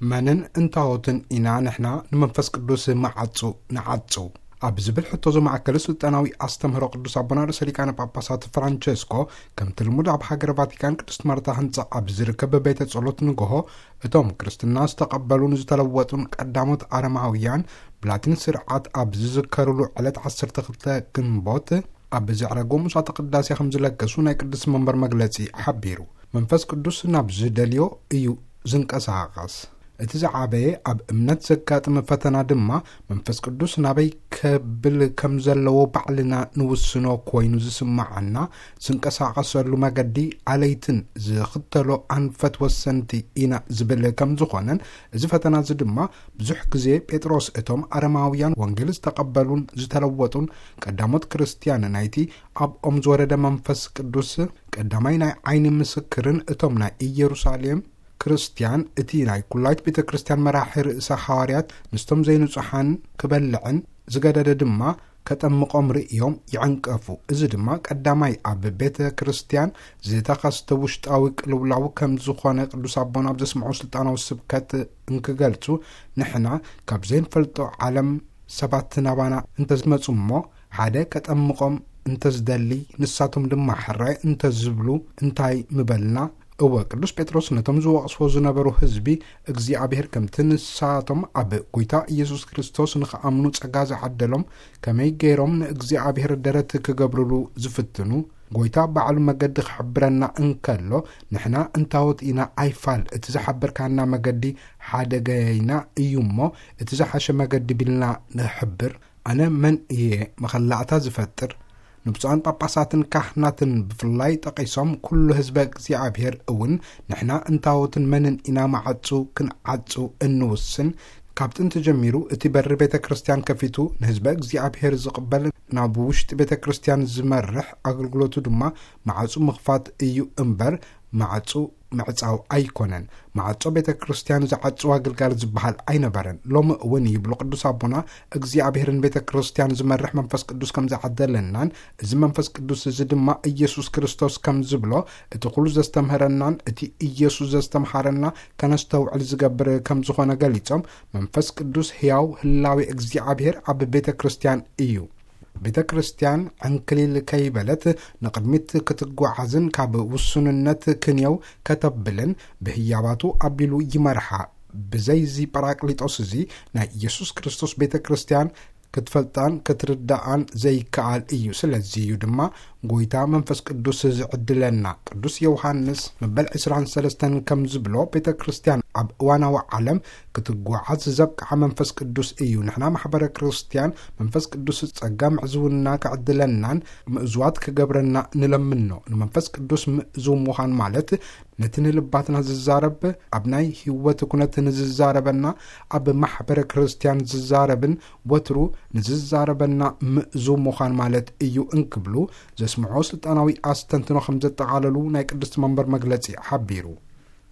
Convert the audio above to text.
መንን እንታወትን ኢና ንሕና ንመንፈስ ቅዱስ መዓጹ ንዓጹ? ኣብ ዝብል ሕቶ ዘማእከለ ስልጣናዊ ኣስተምህሮ ቅዱስ ኣቦና ርእሰ ሊቃነ ጳጳሳት ፍራንቸስኮ፣ ከምቲ ልሙድ ኣብ ሃገረ ቫቲካን ቅድስት ማርታ ህንጻ ኣብ ዝርከብ ቤተ ጸሎት ንግሆ፣ እቶም ክርስትና ዝተቐበሉን ዝተለወጡን ቀዳሞት ኣረማውያን ብላቲን ስርዓት ኣብ ዝዝከሩሉ ዕለት ዓሰርተ ክልተ ግንቦት ኣብ ዘዕረጎ ምሳተ ቅዳሴ ከም ዝለገሱ ናይ ቅዱስ መንበር መግለጺ ሓቢሩ። መንፈስ ቅዱስ ናብ ዝደልዮ እዩ ዝንቀሳቐስ። እቲ ዝዓበየ ኣብ እምነት ዘጋጥም ፈተና ድማ መንፈስ ቅዱስ ናበይ ከብል ከም ዘለዎ ባዕልና ንውስኖ ኮይኑ ዝስምዓና፣ ዝንቀሳቐሰሉ መገዲ ኣለይትን ዝኽተሎ ኣንፈት ወሰንቲ ኢና ዝብል ከም ዝኾነን፣ እዚ ፈተና እዚ ድማ ብዙሕ ግዜ ጴጥሮስ እቶም ኣረማውያን ወንጌል ዝተቐበሉን ዝተለወጡን ቀዳሞት ክርስትያን ናይቲ ኣብኦም ዝወረደ መንፈስ ቅዱስ ቀዳማይ ናይ ዓይኒ ምስክርን እቶም ናይ ኢየሩሳሌም ክርስትያን እቲ ናይ ኩላይት ቤተ ክርስትያን መራሒ ርእሰ ሓዋርያት ምስቶም ዘይንጹሓን ክበልዕን ዝገደደ ድማ ከጠምቖም ርእዮም ይዕንቀፉ። እዚ ድማ ቀዳማይ ኣብ ቤተ ክርስትያን ዝተኸስተ ውሽጣዊ ቅልውላው ከም ዝኾነ ቅዱስ ኣቦና ኣብ ዘስምዖ ስልጣናዊ ስብከት እንክገልጹ፣ ንሕና ካብ ዘይንፈልጦ ዓለም ሰባት ናባና እንተዝመጹ እሞ ሓደ ከጠምቖም እንተዝደሊ፣ ንሳቶም ድማ ሕራይ እንተዝብሉ እንታይ ምበልና? እወ፣ ቅዱስ ጴጥሮስ ነቶም ዝወቕስዎ ዝነበሩ ህዝቢ እግዚኣብሔር ከምቲ ንሳቶም ኣብ ጐይታ ኢየሱስ ክርስቶስ ንኽኣምኑ ጸጋ ዝዓደሎም፣ ከመይ ገይሮም ንእግዚኣብሔር ደረት ክገብሩሉ ዝፍትኑ፣ ጐይታ ባዕሉ መገዲ ክሕብረና እንከሎ፣ ንሕና እንታወት ኢና ኣይፋል፣ እቲ ዝሓበርካና መገዲ ሓደገይና እዩ እሞ፣ እቲ ዝሓሸ መገዲ ቢልና ንሕብር። ኣነ መን እየ መኸላእታ ዝፈጥር? ንብፁዓን ጳጳሳትን ካህናትን ብፍላይ ጠቒሶም፣ ኩሉ ህዝበ እግዚኣብሔር እውን ንሕና እንታወትን መንን ኢና መዓጹ ክንዓጹ እንውስን? ካብ ጥንቲ ጀሚሩ እቲ በሪ ቤተ ክርስቲያን ከፊቱ ንህዝበ እግዚኣብሔር ዝቕበል፣ ናብ ውሽጢ ቤተ ክርስቲያን ዝመርሕ፣ ኣገልግሎቱ ድማ መዓጹ ምኽፋት እዩ እምበር፣ መዓጹ ምዕጻው ኣይኮነን። መዓጾ ቤተ ክርስቲያን ዝዓጽዋ ግልጋሎት ዝበሃል ኣይነበረን። ሎሚ እውን ይብሉ ቅዱስ ኣቦና፣ እግዚኣብሔርን ቤተ ክርስቲያን ዝመርሕ መንፈስ ቅዱስ ከም ዝዓደለናን፣ እዚ መንፈስ ቅዱስ እዚ ድማ ኢየሱስ ክርስቶስ ከም ዝብሎ፣ እቲ ኩሉ ዘስተምህረናን እቲ ኢየሱስ ዘስተምሃረና ከነስተውዕል ዝገብር ከም ዝኾነ ገሊጾም፣ መንፈስ ቅዱስ ሕያው ህላዌ እግዚኣብሔር ኣብ ቤተ ክርስቲያን እዩ። ቤተ ክርስቲያን ዕንክሊል ከይበለት ንቕድሚት ክትጓዓዝን ካብ ውሱንነት ክንየው ከተብልን ብህያባቱ ኣቢሉ ይመርሓ። ብዘይዚ ጳራቅሊጦስ እዚ ናይ ኢየሱስ ክርስቶስ ቤተ ክርስቲያን ክትፈልጣን ክትርዳኣን ዘይከኣል እዩ። ስለዚ እዩ ድማ ጐይታ መንፈስ ቅዱስ ዝዕድለና። ቅዱስ ዮሃንስ መበል ዕስራን ሰለስተን ከም ዝብሎ፣ ቤተ ክርስቲያን ኣብ እዋናዊ ዓለም ክትጓዓዝ ዘብቅዓ መንፈስ ቅዱስ እዩ። ንሕና ማሕበረ ክርስቲያን መንፈስ ቅዱስ ጸጋ ምዕዝውና ክዕድለናን ምእዙዋት ክገብረና ንለምኖ። ንመንፈስ ቅዱስ ምእዙው ምዃን ማለት ነቲ ንልባትና ዝዛረብ፣ ኣብ ናይ ህይወት ኩነት ንዝዛረበና፣ ኣብ ማሕበረ ክርስቲያን ዝዛረብን ወትሩ ንዝዛረበና ምእዙው ምዃን ማለት እዩ እንክብሉ ዘስምዖ ስልጣናዊ ኣስተንትኖ ከም ዘጠቓለሉ ናይ ቅድስቲ መንበር መግለጺ ሓቢሩ።